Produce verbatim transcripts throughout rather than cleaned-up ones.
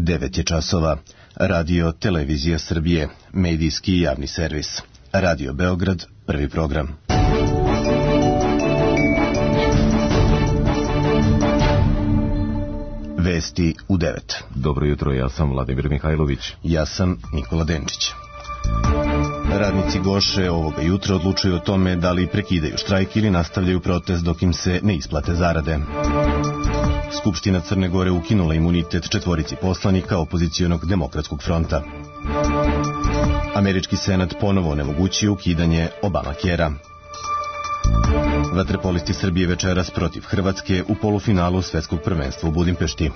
devet je časova. Radio Televizija Srbije, medijski javni servis. Radio Beograd, prvi program. Vesti u devet. Dobro jutro, ja sam Vladimir Mihajlović. Ja sam Nikola Denčić. Radnici Goše ovoga jutra odlučuju o tome da li prekidaju štrajk ili nastavljaju protest dok im se ne isplate zarade. Skupština Crne Gore ukinula imunitet četvorici poslanika opozicionog demokratskog fronta. Američki senat ponovo onemogućio ukidanje Obamacarea. Vaterpolisti Srbije večeras protiv Hrvatske u polufinalu svetskog prvenstva u Budimpešti.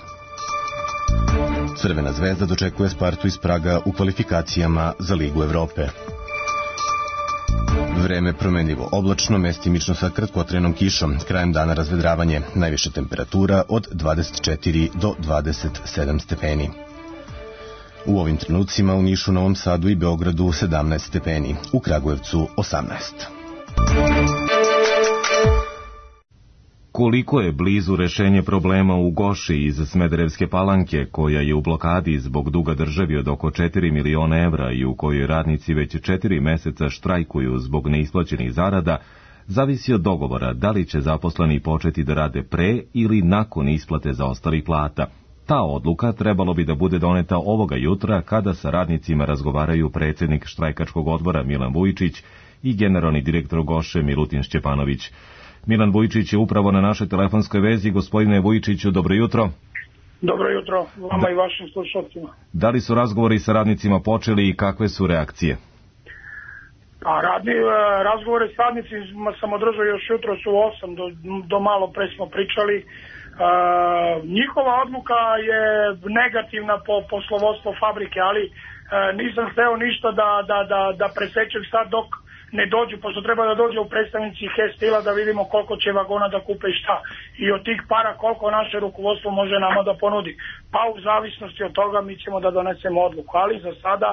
Crvena zvezda dočekuje Spartu iz Praga u kvalifikacijama za Ligu Evrope. Vreme promenljivo oblačno, mestimično sa kratkotrenom kišom. Krajem dana razvedravanje, najviša temperatura od dvadeset četiri do dvadeset sedam stepeni. U ovim trenucima u Nišu, Novom Sadu i Beogradu sedamnaest stepeni, u Kragujevcu osamnaest. Koliko je blizu rešenje problema u Goši iz Smederevske Palanke, koja je u blokadi zbog duga državi od oko četiri miliona evra i u kojoj radnici već četiri meseca štrajkuju zbog neisplaćenih zarada, zavisi od dogovora da li će zaposleni početi da rade pre ili nakon isplate zaostalih plata. Ta odluka trebalo bi da bude doneta ovoga jutra kada sa radnicima razgovaraju predsjednik štrajkačkog odbora Milan Vujčić i generalni direktor Goše Milutin Šćepanović. Milan Vujčić je upravo na našoj telefonskoj vezi. Gospodine Vujčiću, dobro jutro. Dobro jutro, vama i vašim slušalcima. Da li su razgovori sa radnicima počeli i kakve su reakcije? A radni, razgovore s radnicima sam održao još jutro su osam, do, do malo pre smo pričali. E, njihova odluka je negativna po poslovodstvo fabrike, ali e, nisam hteo ništa da, da, da, da presečem sad dok ne dođu, pošto treba da dođe u predstavnici Hestila da vidimo koliko će vagona da kupe i šta. I od tih para koliko naše rukovodstvo može nama da ponudi. Pa u zavisnosti od toga mi ćemo da donesemo odluku. Ali za sada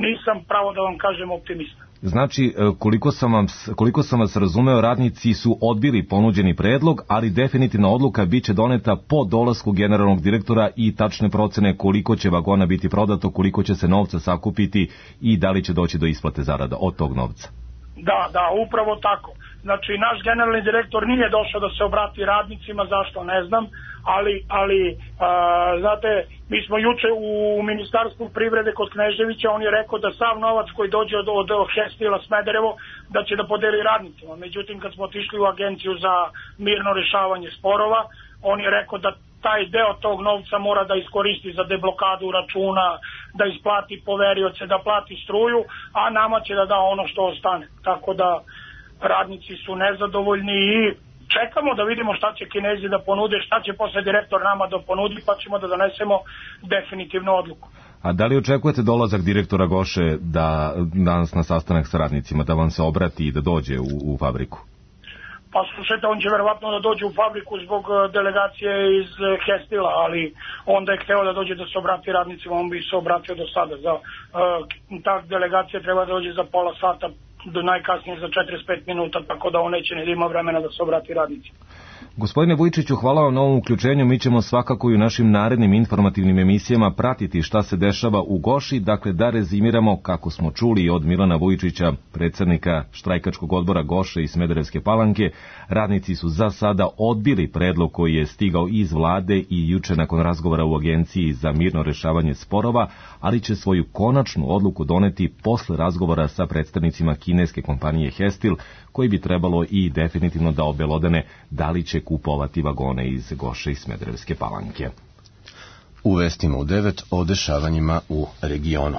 nisam, pravo da vam kažem, optimista. Znači, koliko sam, vam, koliko sam vas razumeo, radnici su odbili ponuđeni predlog, ali definitivna odluka biće doneta po dolasku generalnog direktora i tačne procene koliko će vagona biti prodato, koliko će se novca sakupiti i da li će doći do isplate zarada od tog novca. Da, da, upravo tako. Znači, naš generalni direktor nije došao da se obrati radnicima, zašto ne znam, ali, ali a, znate, mi smo juče u Ministarstvu privrede kod Kneževića, on je rekao da sav novac koji dođe od, od Hestila Smederevo, da će da podeli radnicima. Međutim, kad smo otišli u agenciju za mirno rešavanje sporova, on je rekao da taj deo tog novca mora da iskoristi za deblokadu računa, da isplati poverioce, da plati struju, a nama će da da ono što ostane. Tako da radnici su nezadovoljni i čekamo da vidimo šta će Kinezi da ponude, šta će posle direktor nama da ponudi, pa ćemo da donesemo definitivnu odluku. A da li očekujete dolazak direktora Goše da danas na sastanak sa radnicima, da vam se obrati i da dođe u, u fabriku? Pa slušajte, on će verovatno da dođe u fabriku zbog delegacije iz Hestila, ali onda je hteo da dođe da se obrati radnicima, on bi se obratio do sada. Za, uh, ta delegacija treba da dođe za pola sata, do najkasnije za četrdeset pet minuta, tako da on neće ne da ima vremena da se obrati radnicima. Gospodine Vujčiću, hvala vam na ovom uključenju. Mi ćemo svakako i u našim narednim informativnim emisijama pratiti šta se dešava u Goši. Dakle, da rezimiramo, kako smo čuli od Milana Vujčića, predsjednika štrajkačkog odbora Goše i Smederevske Palanke, radnici su za sada odbili predlog koji je stigao iz vlade i juče nakon razgovora u agenciji za mirno rešavanje sporova, ali će svoju konačnu odluku doneti posle razgovora sa predstavnicima kineske kompanije Hestil, koji bi trebalo i definitivno da obelodane da li će kupovati vagone iz Goše i Smederevske Palanke. U vestima u devet o dešavanjima u regionu.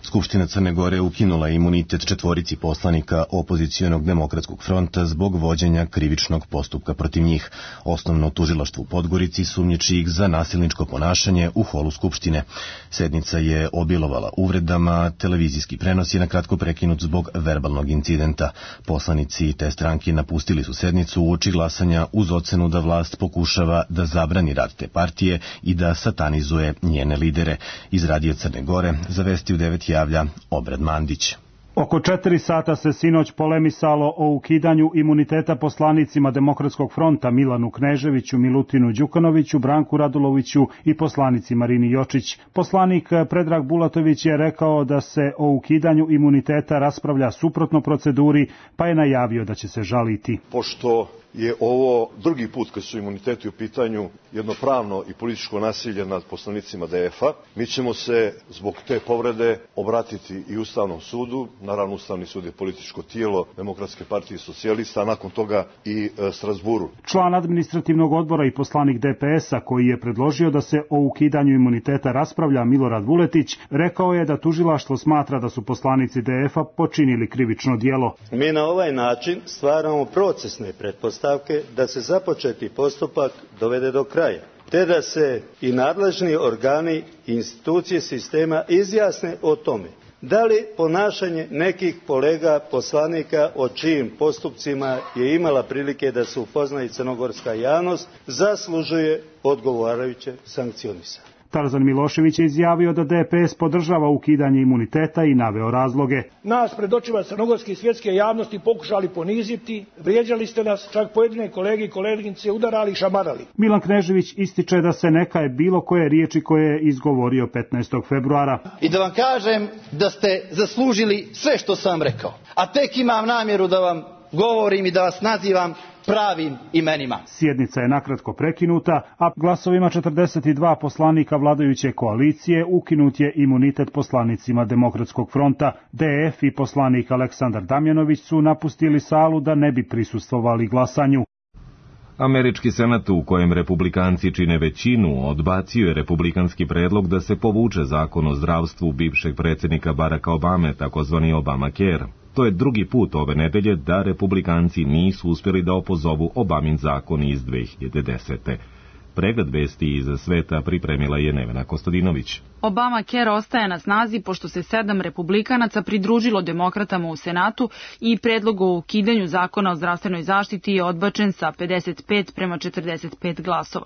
Skupština Crne Gore ukinula imunitet četvorici poslanika opozicionog demokratskog fronta zbog vođenja krivičnog postupka protiv njih. Osnovno tužilaštvo u Podgorici sumnjiči ih za nasilničko ponašanje u holu Skupštine. Sednica je obilovala uvredama, televizijski prenos je nakratko prekinut zbog verbalnog incidenta. Poslanici te stranke napustili su sednicu uoči glasanja uz ocenu da vlast pokušava da zabrani rad te partije i da satanizuje njene lidere. Iz radija Crne Gore za Vesti u devet javlja Obrad Mandić. Oko četiri sata se sinoć polemisalo o ukidanju imuniteta poslanicima Demokratskog fronta Milanu Kneževiću, Milutinu Đukanoviću, Branku Raduloviću i poslanici Marini Jočić. Poslanik Predrag Bulatović je rekao da se o ukidanju imuniteta raspravlja suprotno proceduri, pa je najavio da će se žaliti. Pošto je ovo drugi put kad su imuniteti u pitanju jedno pravno i političko nasilje nad poslanicima D F-a, mi ćemo se zbog te povrede obratiti i Ustavnom sudu. Naravno, Ustavni sud je političko tijelo Demokratske partije socijalista, a nakon toga i e, Strazburu. Član administrativnog odbora i poslanik D P S-a koji je predložio da se o ukidanju imuniteta raspravlja, Milorad Vuletić, rekao je da tužilaštvo smatra da su poslanici D F-a počinili krivično djelo. Mi na ovaj način stvaramo procesne pretpostavke da se započeti postupak dovede do kraja, te da se i nadležni organi i institucije sistema izjasne o tome da li ponašanje nekih kolega poslanika o čijim postupcima je imala prilike da se upozna i crnogorska javnost zaslužuje odgovarajuće sankcionisanje. Tarzan Milošević je izjavio da D P S podržava ukidanje imuniteta i naveo razloge. Nas pred očima crnogorske i svjetske javnosti pokušali poniziti, vrijeđali ste nas, čak pojedine kolege i koleginice udarali i šamarali. Milan Knežević ističe da se nekaje bilo koje riječi koje je izgovorio petnaestog februara. I da vam kažem da ste zaslužili sve što sam rekao, a tek imam namjeru da vam govorim i da vas nazivam pravim imenima. Sjednica je nakratko prekinuta, a glasovima četrdeset dva poslanika vladajuće koalicije ukinut je imunitet poslanicima Demokratskog fronta. D F i poslanik Aleksandar Damjanović su napustili salu da ne bi prisustvovali glasanju. Američki senat, u kojem republikanci čine većinu, odbacio je republikanski predlog da se povuče zakon o zdravstvu bivšeg predsjednika Baracka Obame, takozvani Obamacare. To je drugi put ove nedelje da republikanci nisu uspjeli da opozovu Obamin zakon iz dve hiljade desete. Pregled vesti iz sveta pripremila je Nevena Kostadinović. Obamacare ostaje na snazi pošto se sedam republikanaca pridružilo demokratama u Senatu i predlog o ukidanju zakona o zdravstvenoj zaštiti je odbačen sa pedeset pet prema četrdeset pet glasova.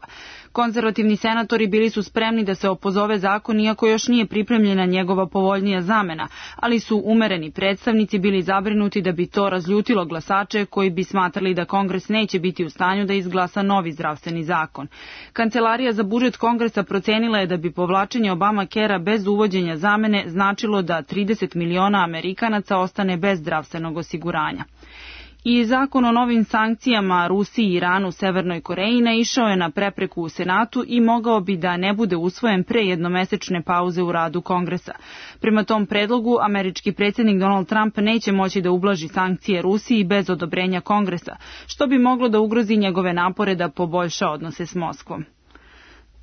Konzervativni senatori bili su spremni da se opozove zakon iako još nije pripremljena njegova povoljnija zamena, ali su umereni predstavnici bili zabrinuti da bi to razljutilo glasače koji bi smatrali da Kongres neće biti u stanju da izglasa novi zdravstveni zakon. Kancelarija za budžet Kongresa procenila je da bi povlačenje Obamacarea bez uvođenja zamene značilo da trideset miliona Amerikanaca ostane bez zdravstvenog osiguranja. I zakon o novim sankcijama Rusiji, Iranu, Severnoj Koreji naišao je na prepreku u Senatu i mogao bi da ne bude usvojen pre jednomesečne pauze u radu Kongresa. Prema tom predlogu, američki predsjednik Donald Trump neće moći da ublaži sankcije Rusiji bez odobrenja Kongresa, što bi moglo da ugrozi njegove napore da poboljša odnose s Moskvom.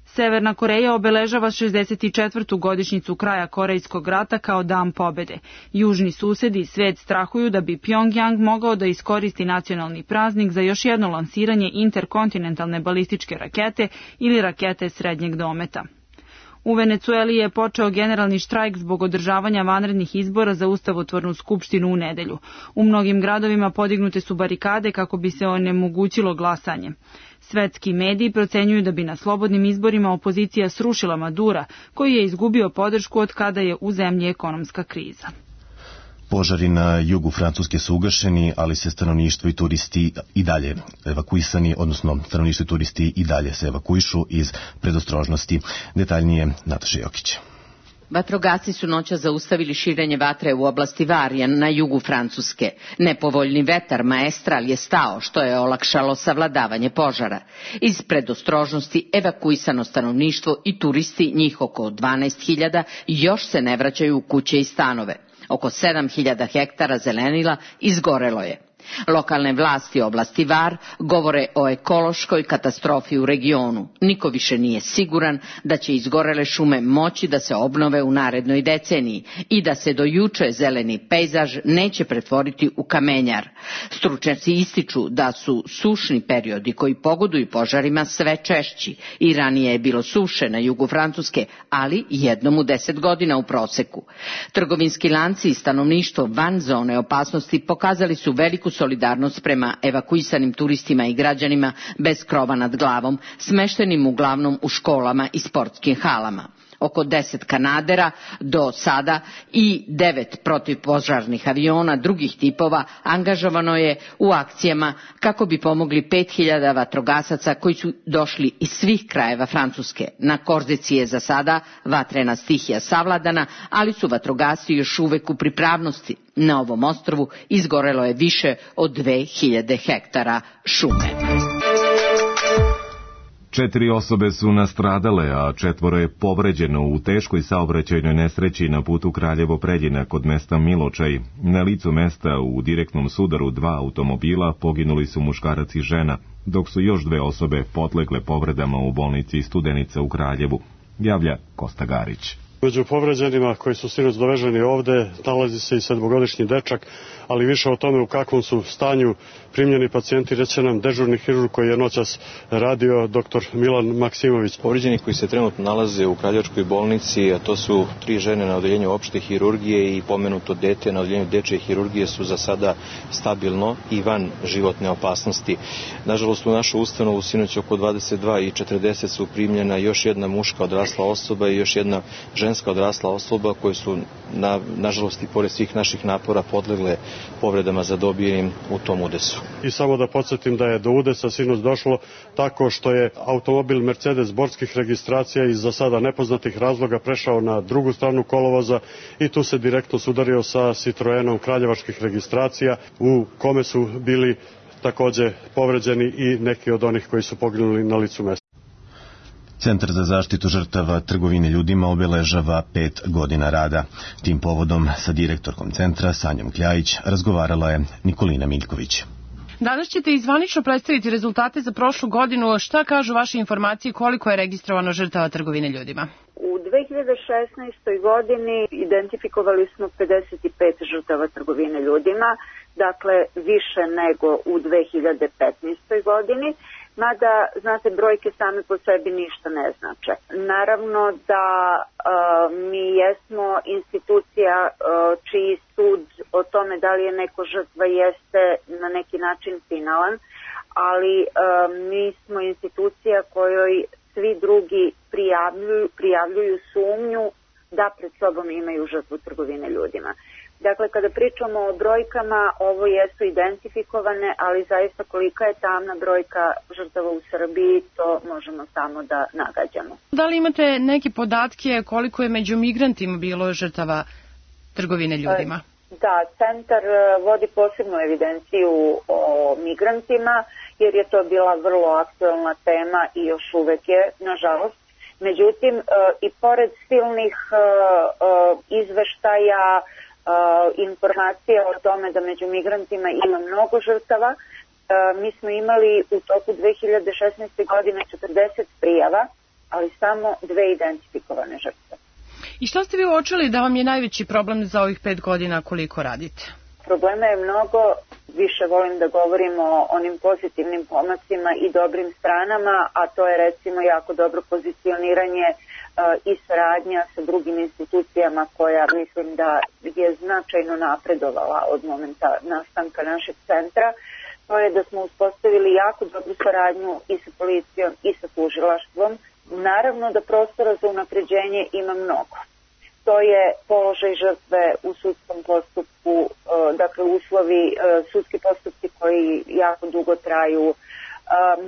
Severna Koreja obeležava šezdeset četvrtu godišnjicu kraja Korejskog rata kao dan pobede. Južni susedi i svet strahuju da bi Pjongjang mogao da iskoristi nacionalni praznik za još jedno lansiranje interkontinentalne balističke rakete ili rakete srednjeg dometa. U Venecueli je počeo generalni štrajk zbog održavanja vanrednih izbora za ustavotvornu skupštinu u nedelju. U mnogim gradovima podignute su barikade kako bi se onemogućilo glasanje. Svetski mediji procenjuju da bi na slobodnim izborima opozicija srušila Madura, koji je izgubio podršku od kada je u zemlji ekonomska kriza. Požari na jugu Francuske su ugašeni, ali se stanovništvo i turisti i dalje evakuisani, odnosno stanovništvo i turisti i dalje se evakuišu iz predostrožnosti. Detaljnije Nataša Jokić. Vatrogasci su noća zaustavili širenje vatre u oblasti Varijan na jugu Francuske. Nepovoljni vetar maestral je stao, što je olakšalo savladavanje požara. Iz predostrožnosti evakuisano stanovništvo i turisti, njih oko dvanaest hiljada, još se ne vraćaju u kuće i stanove. Oko sedam hiljada hektara zelenila izgorelo je. Lokalne vlasti oblasti Var govore o ekološkoj katastrofi u regionu. Niko više nije siguran da će izgorele šume moći da se obnove u narednoj deceniji i da se do juče zeleni pejzaž neće pretvoriti u kamenjar. Stručnjaci ističu da su sušni periodi koji pogoduju požarima sve češći i ranije je bilo suše na jugu Francuske, ali jednom u deset godina u proseku. Trgovinski lanci i stanovništvo van zone opasnosti pokazali su veliku solidarnost prema evakuisanim turistima i građanima bez krova nad glavom, smeštenim uglavnom u školama i sportskim halama. Oko deset kanadera do sada i devet protivpožarnih aviona drugih tipova angažovano je u akcijama kako bi pomogli pet hiljada vatrogasaca koji su došli iz svih krajeva Francuske. Na Korzici je za sada vatrena stihija savladana, ali su vatrogasci još uvek u pripravnosti. Na ovom ostrvu izgorelo je više od dve hiljade hektara šume. Četiri osobe su nastradale, a četvoro je povređeno u teškoj saobraćajnoj nesreći na putu Kraljevo-Preljina kod mesta Miločaj. Na licu mesta u direktnom sudaru dva automobila poginuli su muškarac i žena, dok su još dve osobe podlegle povredama u bolnici Studenica u Kraljevu, javlja Kosta Garić. Među povređenima koji su sinoć doveženi ovde nalazi se i sedmogodišnji dečak, ali više o tome u kakvom su stanju primljeni pacijenti reće nam dežurni hirurg koji je noćas radio doktor Milan Maksimović. Povređeni koji se trenutno nalaze u Kraljevačkoj bolnici, a to su tri žene na odeljenju opšte hirurgije i pomenuto dete na odeljenju dečje hirurgije, su za sada stabilno i van životne opasnosti. Nažalost, u našu ustanovu sinoć oko dvadeset dva i četrdeset su primljena još jedna muška odrasla osoba i još jedna ženska odrasla osoba koje su, na, nažalost i pored svih naših napora, podlegle povredama zadobijenim u tom udesu. I samo da podsjetim da je do udesa sinoć došlo tako što je automobil Mercedes borskih registracija iz za sada nepoznatih razloga prešao na drugu stranu kolovoza i tu se direktno sudario sa Citroenom kraljevačkih registracija u kome su bili takođe povređeni i neki od onih koji su poginuli na licu mesta. Centar za zaštitu žrtava trgovine ljudima obeležava pet godina rada. Tim povodom sa direktorkom centra Sanjom Kljajić razgovarala je Nikolina Miljković. Danas ćete izvanično predstaviti rezultate za prošlu godinu. Šta kažu vaše informacije koliko je registrovano žrtava trgovine ljudima? U dve hiljade šesnaestoj. godini identifikovali smo pedeset pet žrtava trgovine ljudima, dakle više nego u dve hiljade petnaestoj. godini. Mada, znate, brojke same po sebi ništa ne znače. Naravno da e, mi jesmo institucija e, čiji sud o tome da li je neko žrtva jeste na neki način finalan, ali e, mi smo institucija kojoj svi drugi prijavljuju, prijavljuju sumnju da pred sobom imaju žrtvu trgovine ljudima. Dakle, kada pričamo o brojkama, ovo jesu identifikovane, ali zaista kolika je tamna brojka žrtava u Srbiji, to možemo samo da nagađamo. Da li imate neke podatke koliko je među migrantima bilo žrtava trgovine ljudima? Da, centar vodi posebnu evidenciju o migrantima, jer je to bila vrlo aktuelna tema i još uvek je, nažalost. Međutim, i pored silnih izveštaja, Uh, informacija o tome da među migrantima ima mnogo žrtava. Uh, mi smo imali u toku dve hiljade šesnaeste. godine četrdeset prijava, ali samo dve identifikovane žrtve. I što ste vi uočili da vam je najveći problem za ovih pet godina koliko radite? Problema je mnogo, više volim da govorim o onim pozitivnim pomacima i dobrim stranama, a to je recimo jako dobro pozicioniranje i saradnja sa drugim institucijama koja mislim da je značajno napredovala od momenta nastanka našeg centra. To je da smo uspostavili jako dobru saradnju i sa policijom i sa tužilaštvom. Naravno da prostora za unapređenje ima mnogo. To je položaj žrtve u sudskom postupku, dakle uslovi, sudski postupci koji jako dugo traju,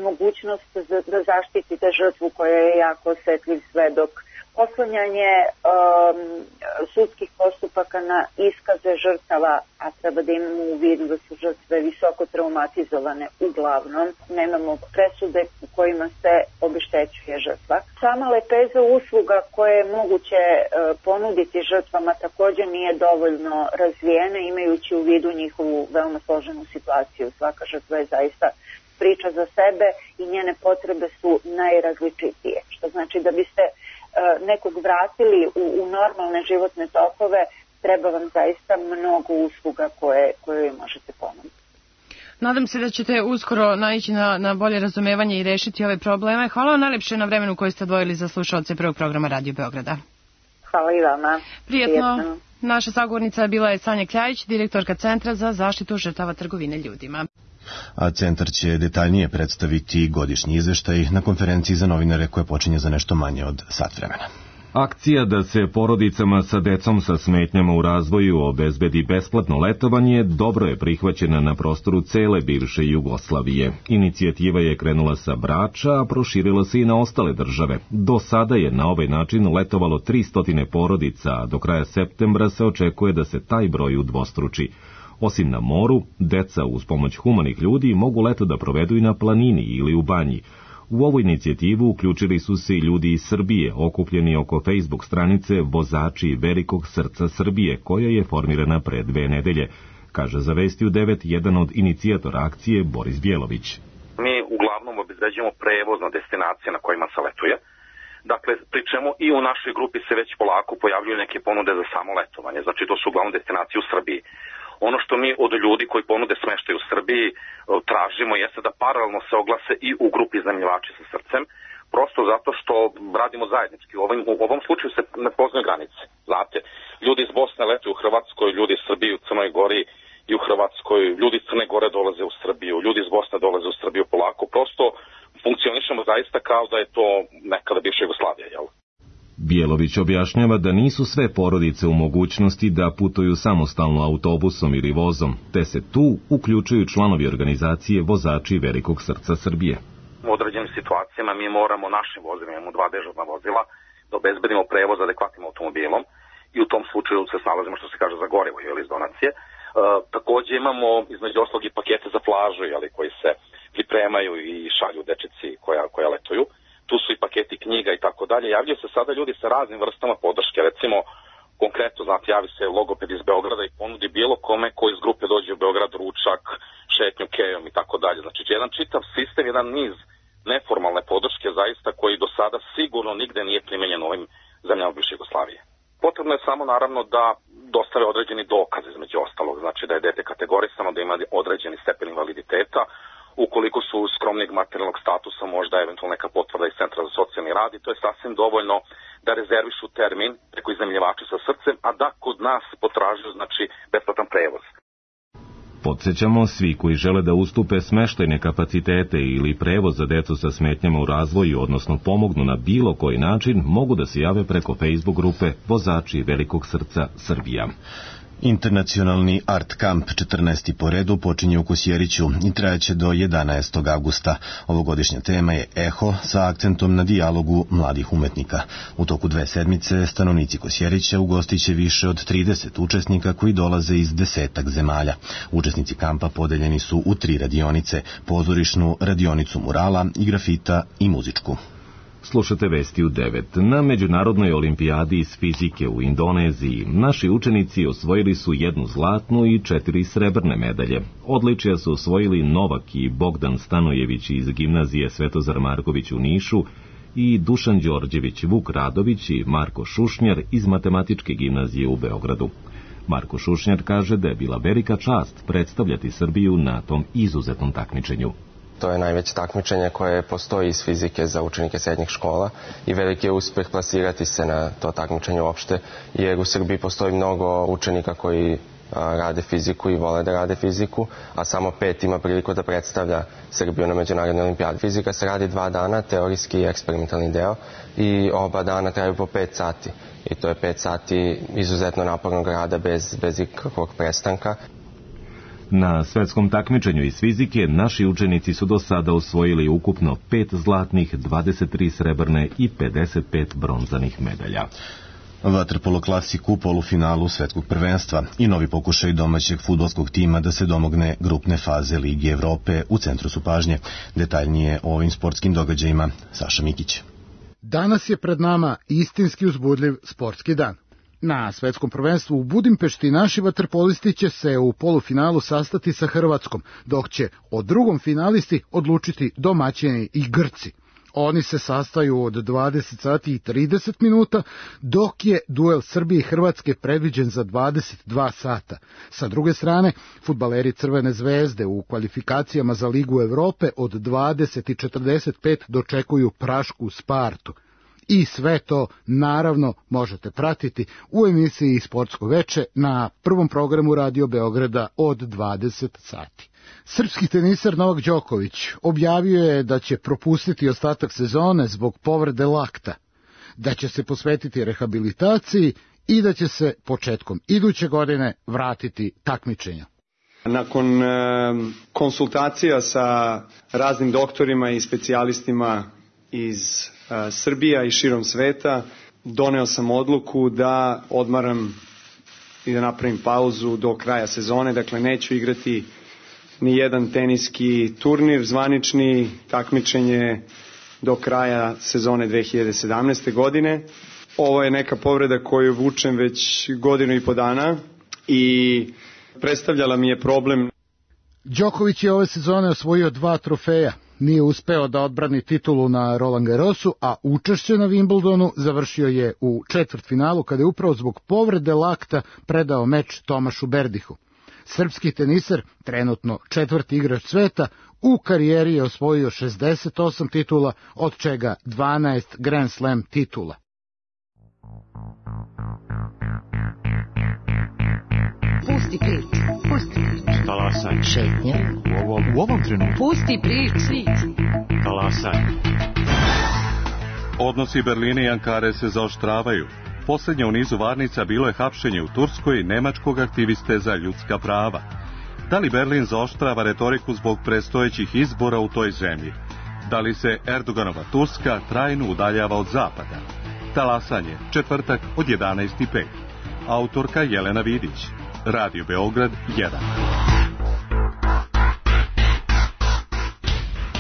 mogućnost da zaštitite žrtvu koja je jako osetljiv svedok, oslanjanje um, sudskih postupaka na iskaze žrtava, a treba da imamo u vidu da su žrtve visoko traumatizovane uglavnom. Nemamo presude u kojima se obeštećuje žrtva. Sama lepeza usluga koje je moguće uh, ponuditi žrtvama takođe nije dovoljno razvijena, imajući u vidu njihovu veoma složenu situaciju. Svaka žrtva je zaista priča za sebe i njene potrebe su najrazličitije, što znači da biste nekog vratili u, u normalne životne tokove, treba vam zaista mnogo usluga koje, koje možete ponuditi. Nadam se da ćete uskoro naići na, na bolje razumevanje i rešiti ove probleme. Hvala vam najlepše na vremenu koje ste odvojili za slušaoce prvog programa Radio Beograda. Hvala i vama. Prijetno. Prijetno. Naša sagovornica bila je Sanja Kljajić, direktorka Centra za zaštitu žrtava trgovine ljudima. A centar će detaljnije predstaviti godišnji izveštaj na konferenciji za novinare koja počinje za nešto manje od sat vremena. Akcija da se porodicama sa decom sa smetnjama u razvoju obezbedi besplatno letovanje dobro je prihvaćena na prostoru cele bivše Jugoslavije. Inicijativa je krenula sa Brača, a proširila se i na ostale države. Do sada je na ovaj način letovalo tristo porodica, a do kraja septembra se očekuje da se taj broj udvostruči. Osim na moru, deca uz pomoć humanih ljudi mogu leto da provedu i na planini ili u banji. U ovu inicijativu uključili su se i ljudi iz Srbije, okupljeni oko Facebook stranice Vozači velikog srca Srbije, koja je formirana pre dve nedelje, kaže za Vesti u devet jedan od inicijatora akcije Boris Bjelović. Mi uglavnom obezbeđujemo prevoz na destinacije na kojima se letuje. Dakle, pri čemu i u našoj grupi se već polako pojavljuju neke ponude za samo letovanje, znači to su uglavnom destinacije u Srbiji. Ono što mi od ljudi koji ponude smeštaj u Srbiji tražimo jeste da paralelno se oglase i u grupi iznajmljivači sa srcem, prosto zato što radimo zajednički. U ovom, u ovom slučaju se ne poznaju granice. Znate, ljudi iz Bosne letuju u Hrvatskoj, ljudi iz Srbije u Crnoj Gori i u Hrvatskoj, ljudi iz Crne Gore dolaze u Srbiju, ljudi iz Bosne dolaze u Srbiju polako. Prosto funkcionišemo zaista kao da je to nekada bivša Jugoslavija, jel? Bjelović objašnjava da nisu sve porodice u mogućnosti da putuju samostalno autobusom ili vozom, te se tu uključuju članovi organizacije Vozači velikog srca Srbije. U određenim situacijama mi moramo našim vozilima, imamo dva dežurna vozila, da obezbedimo prevoz adekvatnim automobilom i u tom slučaju se snalazimo, što se kaže, za gorivo ili iz donacije. E, takođe imamo između ostalog i pakete za plažu, jeli, koji se pripremaju i šalju dečici koja, koja letuju. Tu su i paketi knjiga i tako dalje. Javljaju se sada ljudi sa raznim vrstama podrške. Recimo, konkretno, znate, javi se logoped iz Beograda i ponudi bilo kome koji iz grupe dođe u Beograd ručak, šetnju kejom i tako dalje. Znači, jedan čitav sistem, jedan niz neformalne podrške zaista koji do sada sigurno nigde nije primenjen u ovim zemljama bivše Jugoslavije. Potrebno je samo, naravno, da dostave određeni dokaz između ostalog. Znači, da je dete kategorisano, da ima određeni stepen invaliditeta. Ukoliko su skromnijeg materijalnog statusa, možda eventualno neka potvrda iz Centra za socijalni rad i to je sasvim dovoljno da rezervišu termin preko iznajmljivača sa srcem, a da kod nas potražuju, znači, besplatan prevoz. Podsjećamo, svi koji žele da ustupe smeštajne kapacitete ili prevoz za decu sa smetnjama u razvoju, odnosno pomognu na bilo koji način, mogu da se jave preko Facebook grupe Vozači velikog srca Srbija. Internacionalni Art Camp četrnaesti po redu počinje u Kosjeriću i trajaće do jedanaestog avgusta. Ovogodišnja tema je Eho sa akcentom na dijalogu mladih umetnika. U toku dve sedmice stanovnici Kosjerića ugostiće više od trideset učesnika koji dolaze iz desetak zemalja. Učesnici kampa podeljeni su u tri radionice, pozorišnu, radionicu murala i grafita i muzičku. Slušate Vesti u devet. Na Međunarodnoj olimpijadi iz fizike u Indoneziji naši učenici osvojili su jednu zlatnu i četiri srebrne medalje. Odličja su osvojili Novak i Bogdan Stanojević iz gimnazije Svetozar Marković u Nišu i Dušan Đorđević, Vuk Radović i Marko Šušnjar iz Matematičke gimnazije u Beogradu. Marko Šušnjar kaže da je bila velika čast predstavljati Srbiju na tom izuzetnom takmičenju. To je najveće takmičenje koje postoji iz fizike za učenike srednjih škola i veliki je uspeh plasirati se na to takmičenje uopšte, jer u Srbiji postoji mnogo učenika koji rade fiziku i vole da rade fiziku, a samo pet ima priliku da predstavlja Srbiju na Međunarodnoj olimpijadi. Fizika se radi dva dana, teorijski i eksperimentalni deo, i oba dana traju po pet sati. I to je pet sati izuzetno napornog rada bez, bez ikakvog prestanka. Na svetskom takmičenju iz fizike naši učenici su do sada osvojili ukupno pet zlatnih, dvadeset tri srebrne i pedeset pet bronzanih medalja. Vaterpolo klasik u polufinalu svetskog prvenstva i novi pokušaj domaćeg fudbalskog tima da se domogne grupne faze Lige Evrope u centru su pažnje. Detaljnije o ovim sportskim događajima Saša Mikić. Danas je pred nama istinski uzbudljiv sportski dan. Na svetskom prvenstvu u Budimpešti naši vaterpolisti će se u polufinalu sastati sa Hrvatskom, dok će o drugom finalisti odlučiti domaćini i Grci. Oni se sastaju od dvadeset sati i trideset minuta, dok je duel Srbije i Hrvatske predviđen za dvadeset dva sata. Sa druge strane, fudbaleri Crvene zvezde u kvalifikacijama za Ligu Evrope od dvadeset i četrdeset pet dočekuju prašku Spartu. I sve to, naravno, možete pratiti u emisiji Sportsko veče na prvom programu Radio Beograda od dvadeset sati. Srpski tenisar Novak Đoković objavio je da će propustiti ostatak sezone zbog povrede lakta. da će se posvetiti rehabilitaciji i da će se početkom iduće godine vratiti takmičenja. Nakon e, konsultacija sa raznim doktorima i specijalistima iz e, Srbija i širom sveta, doneo sam odluku da odmaram i da napravim pauzu do kraja sezone, dakle neću igrati ni jedan teniski turnir, zvanični takmičenje do kraja sezone dve hiljade sedamnaeste. godine. Ovo je neka povreda koju vučem već godinu i po dana i predstavljala mi je problem. Đoković je ove sezone osvojio dva trofeja. Nije uspeo da odbrani titulu na Roland Garrosu, a učešće na Wimbledonu završio je u četvrtfinalu kada je upravo zbog povrede lakta predao meč Tomašu Berdihu. Srpski teniser, trenutno četvrti igrač sveta, u karijeri je osvojio šezdeset osam titula, od čega dvanaest Grand Slam titula. Pusti priču, pusti priču. Talasaj. Šetnja. U ovom, u ovom trenutku. Pusti priču. Talasaj. Odnosi Berlina i Ankare se zaoštravaju. Poslednje u nizu varnica bilo je hapšenje u Turskoj nemačkog aktiviste za ljudska prava. Da li Berlin zaoštrava retoriku zbog predstojećih izbora u toj zemlji? Da li se Erdoganova Turska trajno udaljava od zapada? Talasanje, četvrtak od jedanaest i pet. Autorka Jelena Vidić. Radio Beograd jedan.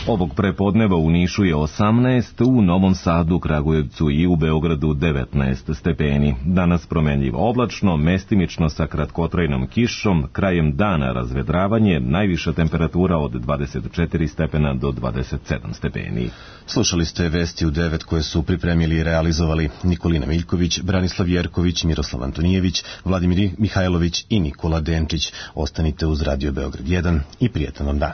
Ovog prepodneva u Nišu je osamnaest, u Novom Sadu, Kragujevcu i u Beogradu devetnaest stepeni. Danas promenljivo oblačno, mestimično sa kratkotrajnom kišom, krajem dana razvedravanje, najviša temperatura od dvadeset četiri stepena do dvadeset sedam stepeni. Slušali ste vesti u devet koje su pripremili i realizovali Nikolina Miljković, Branislav Jerković, Miroslav Antonijević, Vladimir Mihajlović i Nikola Denčić. Ostanite uz Radio Beograd jedan i prijetan vam dan.